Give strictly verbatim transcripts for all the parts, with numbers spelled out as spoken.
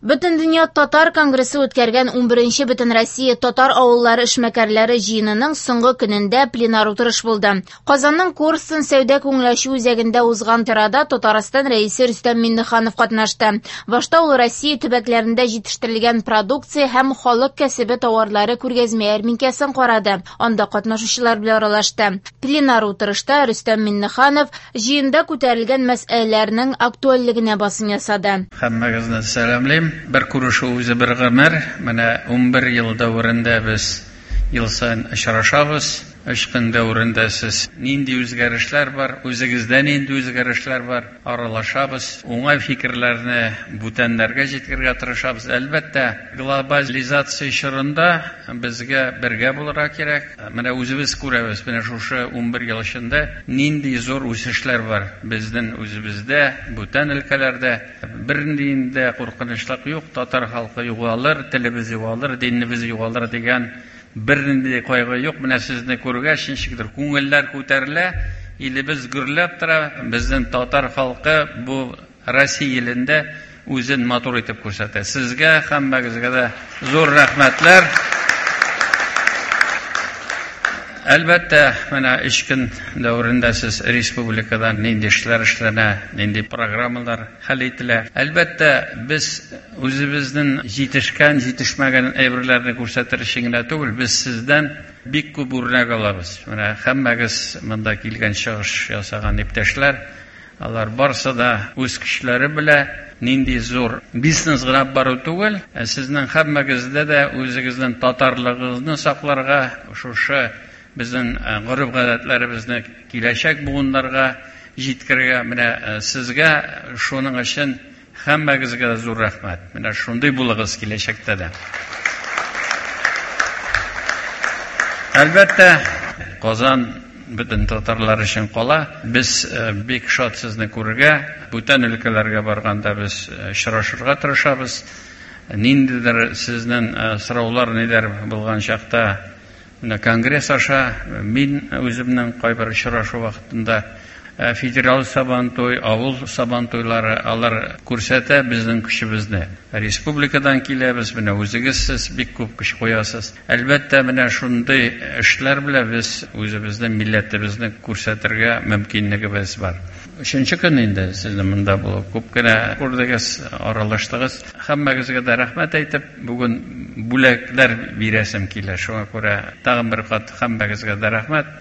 Бөтендөнья татар конгрессы үткәргән унберенче Бөтенроссия татар авыллары эшмәкәрләре җыенының соңгы көнендә пленар утырыш булды. Казанның Корстон сәүдә күңеләчү үзәгендә узган чарада Татарстан рәисе Рөстәм Миңнеханов катнашты. Башта ул Россия төбәкләрендә җитештерелгән продукция һәм халык кәсебе товарлары күргәзмә ярминкәсен карады. Анда катнашучылар белән аралашты. Пленар утырышта Рөстәм Миңнеханов җыенда күтәрелгән мәсьәләләрнең актуальлегенә басым ясады. Һәммәгезне сәламлим. Бер күрешү үзе бер гомер. Менә унбер ел дәверендә без ел саен очрашабыз. Өч көн дәверендә сез нинди үзгәрешләр бар, үзегездә нинди үзгәрешләр бар, аралашабыз. Уңай фикерләрне бүтәннәргә җиткерергә тырышабыз. Әлбәттә, глобализация чорында безгә бергә булырга кирәк. Менә үзебез күрәбез, менә шушы унбер ел эчендә нинди зур үсешләр бар безнең үзебездә, бүтән өлкәләрдә. Бернинди дә куркынычлык юк, татар халкы югалыр, телебез югалыр, динебез югалыр дигән бернинди кайгы юк. Менә сезне күргәч, ничектер күңелләр күтәрелә, илебез гөрләп тора. Безнең татар халкы бу Россия илендә үзен матур итеп күрсәтә. Сезгә һәммәгезгә дә зур рәхмәтләр. Әлбәттә, менә өч көн дәверендә сез республикада нинди эшләр эшләнә, нинди программалар хәл ителә. Әлбәттә, без үзебезнең җитешкән, җитешмәгән әйберләрне күрсәтер өчен генә түгел, без сездән бик күп үрнәк алабыз. Менә һәммәгез монда килгән чыгыш ясаган иптәшләр, алар барсы да үз көчләре белән нинди зур бизнес гына бару түгел, ә сезнең һәммәгездә дә үзегезнең татарлыгыгызны сакларга, шушы безнең гореф-гадәтләребезне киләчәк буыннарга җиткерергә, менә сезгә шуның өчен һәммәгезгә дә зур рәхмәт. Менә шундый булыгыз киләчәктә дә. Әлбәттә, Казан бөтен татарлар өчен кала. Без бик шат сезне күрергә, бүтән өлкәләргә барганда без очрашырга тырышабыз. Ниндидер сезнең сораулар ниләр булган чакта менә конгресс аша мин үземнең кайбер очрашу вакытында федераль сабантуй, авыл сабантуйлары алар күрсәтә безнең көчебезне. Республикадан киләбез, менә үзегез сез бик күп көч куясыз. Әлбәттә, менә шундый эшләр белән без үзебезнең милләтебезне күрсәтергә мөмкинлегебез бар. Өченче көн инде сезне монда булып күп кенә күрдегез, аралаштыгыз. Һәммәгезгә дә рәхмәт әйтеп, бүген бүләкләр бирәсем килә. Шуңа күрә тагын бер кат һәммәгезгә дә рәхмәт.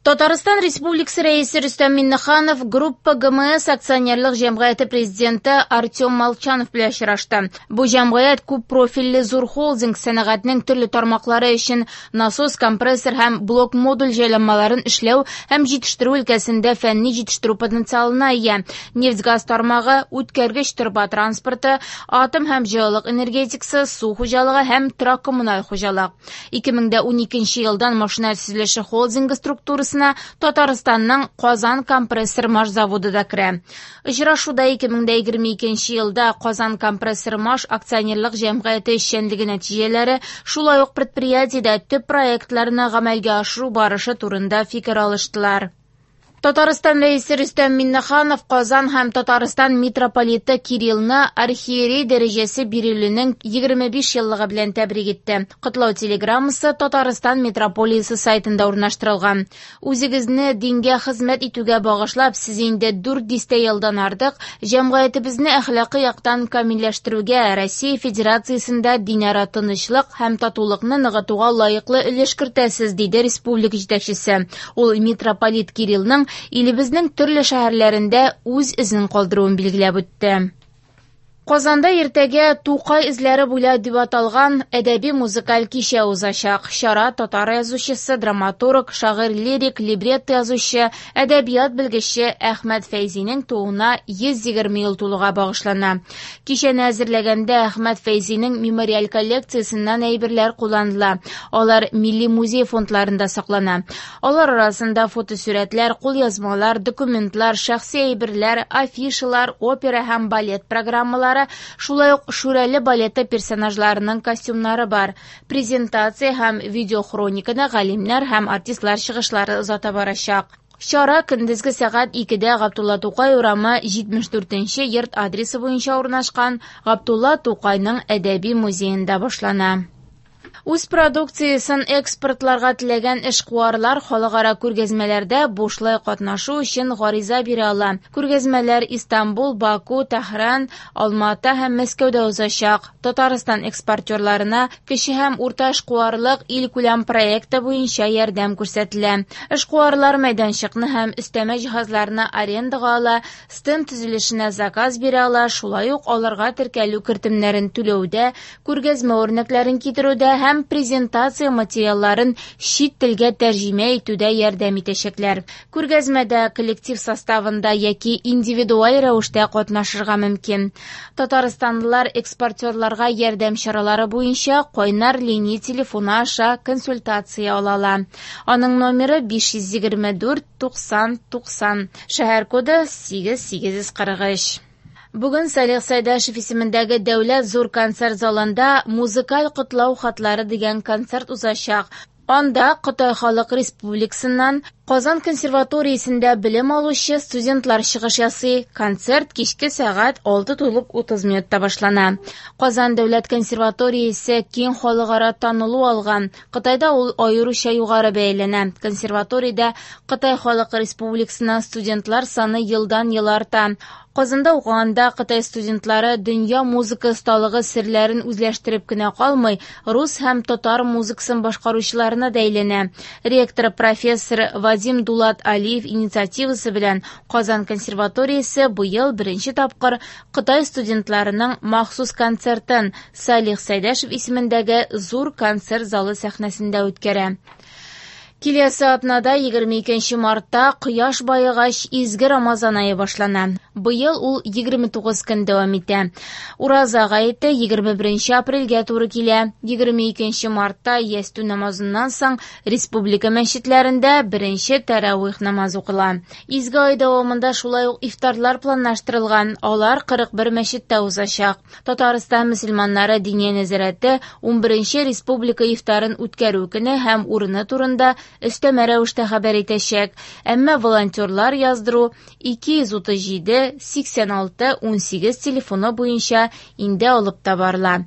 Татарстан Республикасы рәисе Рөстәм Миңнеханов Группа ГМС акционерлык җәмгыяте президенты Артем Молчанов белән очрашты. Бу җәмгыять күп профильле зур холдинг сәнәгатьнең төрле тармаклары өчен насос, компрессор һәм блок-модуль җайланмаларын эшләү һәм җитештерү өлкәсендә фәнни җитештерү потенциалына ия. Нефть-газ тармагы, үткәргеч торба транспорты, атом һәм җылылык энергетикасы, су хуҗалыгы һәм торак-коммуналь хуҗалык. ике мең дә уникенче елдан машина төзелеше холдингы структурасы Татарстанның Казан компрессор маш заводы да керә. Очрашуда ике мең дә егерме икенче елда Казан компрессор маш акционерлык җәмгыяте эшчәнлеге нәтиҗәләре, шулай ук предприятиедә төп проектларны гамәлгә ашыру барышы турында фикер алыштылар. Татарстан рәисе Рөстәм Миңнеханов Казан һәм Татарстан митрополиты Кириллны архиерей дәрәҗәсе бирелүнең егерме биш еллыгы белән тәбрик итте. Котлау телеграммасы Татарстан митрополиясе сайтында урнаштырылган. Үзегезне дингә хезмәт итүгә багышлап, сез инде дүрт дистә елдан артык җәмгыятебезне әхлакый яктан камилләштерүгә, Россия Федерациясендә динара тынычлык һәм татулыкны ныгытуга лаеклы өлеш кертәсез, диде республика җитәкчесе. Ул митрополит Кириллның илебезнең төрле шәһәрләрендә үз эзен калдыруын билгеләп үтте. Казанда иртәгә Тукай эзләре буйлап дип аталган әдәби музыкаль кичә узачак. Чара татар язучысы, драматург, шагыйрь-лирик, либретто язучы, әдәбият белгече Әхмәт Фәйзинең тууына йөз егерме ел тулуга багышлана. Кичәне әзерләгәндә Әхмәт Фәйзинең мемориаль коллекциясеннән әйберләр кулланыла. Алар Милли музей фондларында саклана. Алар арасында фотосурәтләр, кулъязмалар, документлар, шәхси әйберләр, афишалар, опера һәм балет программалары, шулай ук Шүрәле балеты персонажларының костюмнары бар. Презентация һәм видеохрониканы галимнәр һәм артистлар чыгышлары озата барачак. Чара көндезге сәгать икедә Габдулла Тукай урамы җитмеш дүртенче йорт адресы буенча урнашкан Габдулла Тукайның әдәби музеенда башлана. Үз продукциясен экспортларга теләгән эшкуарлар халыкара күргәзмәләрдә бушлай катнашу өчен гариза бирә ала. Күргәзмәләр Истанбул, Баку, Тәһран, Алмата һәм Мәскәүдә узачак. Татарстан экспортерларына кече һәм урта эшкуарлык илкүләм проекты буенча ярдәм күрсәтелә. Эшкуарлар мәйданчыкны һәм өстәмә җиһазларны арендага ала, стенд төзелешенә заказ бирә ала, шулай ук аларга теркәлү кертемнәрен түләүдә, күргәзмә үрнәкләрен китерүдә һәм презентация материалларын чит телгә тәрҗемә итүдә ярдәм итәчәкләр. Күргәзмәдә коллектив составында яки индивидуаль рәвештә катнашырга мөмкин. Татарстанлылар экспортерларга ярдәм чаралары буенча кайнар линия телефоны аша консультация ала ала. Аның номеры биш йөз егерме дүрт туксан туксан. Шәһәр коды сигез сигез йөз кырык өч. Бүген Салих Сәйдәшев исемендәге Дәүләт зур концерт залында музыкаль котлау хатлары дигән концерт узачак. Анда Кытай Халык Республикасыннан Казан консерваториясендә белем алучы студентлар чыгыш ясый. Концерт кичке сәгать алты тулып утыз минутта башлана. Казан дәүләт консерваториясе киң халыкара танылу алган. Кытайда ул аеруча югары бәяләнә. Консерваториядә Кытай Халык Республикасыннан студентлар саны елдан-ел арта. Казанда укыганда Кытай студентлары дөнья музыка осталыгы серләрен үзләштереп кенә калмый, рус һәм татар музыкасын башкаручыларына да әйләнә. Ректор профессор Вадим Дулат Алиев инициативасы белән Казан консерваториясе быел беренче тапкыр Кытай студентларының махсус концертын Салих Сәйдәшев исемендәге зур концерт залы сәхнәсендә үткәрә. Киләсе атнада егерме икенче мартта кояш байыгач изге Рамазан ае башлана. Быел ул егерме тугыз көн дәвам итә. Ураза гаете егерме беренче апрельгә туры килә. Егерме икенче мартта ястү намазыннан соң республика мәчетләрендә беренче тәравих намазы укыла. Изге ай дәвамында шулай ук ифтарлар планлаштырылган. Алар кырык бер мәчеттә узачак. Татарстан мөселманнары диния нәзарәте унберенче республика ифтарын үткәрү көне һәм урыны турында өстәмә рәвештә хәбәр итәчәк. Әмма волонтерлар яздыру ике йөз утыз җиде сиксән алты унсигез телефоны буенча инде алып та барыла.